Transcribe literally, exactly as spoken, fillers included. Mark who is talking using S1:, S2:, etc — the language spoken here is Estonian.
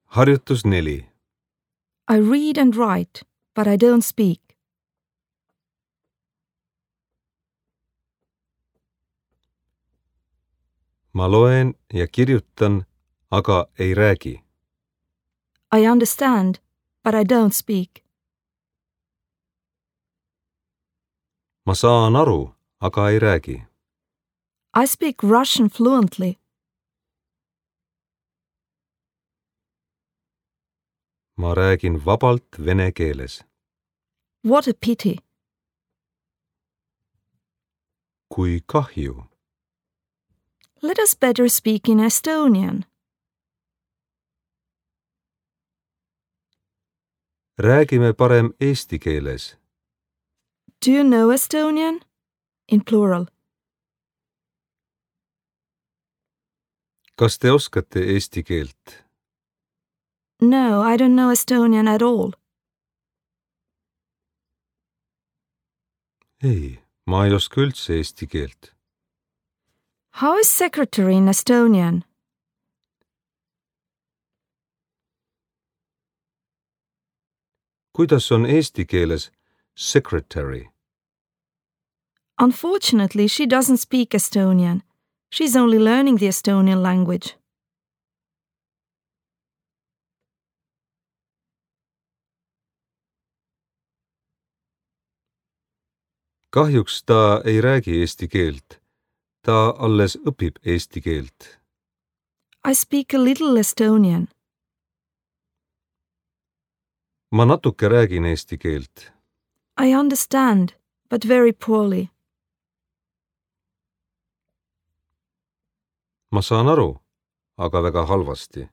S1: Harjutus neli.
S2: I read and write, but I don't speak.
S1: Ma loen ja kirjutan, aga ei räägi.
S2: I understand, but I don't speak.
S1: Ma saan aru, aga ei räägi.
S2: I speak Russian fluently.
S1: Ma räägin vabalt vene keeles.
S2: What a pity.
S1: Kui kahju.
S2: Let us better speak in Estonian.
S1: Räägime parem eesti keeles.
S2: Do you know Estonian? In plural.
S1: Kas te oskate eesti keelt?
S2: No, I don't know Estonian at all.
S1: Ei, ma ei oska üldse eesti keelt.
S2: How is secretary in Estonian?
S1: Kuidas on eesti keeles secretary?
S2: Unfortunately, she doesn't speak Estonian. She's only learning the Estonian language.
S1: Kahjuks ta ei räägi eesti keelt. Ta alles õpib eesti keelt.
S2: I speak a little Estonian.
S1: Ma natuke räägin eesti keelt.
S2: I understand, but very poorly.
S1: Ma saan aru, aga väga halvasti.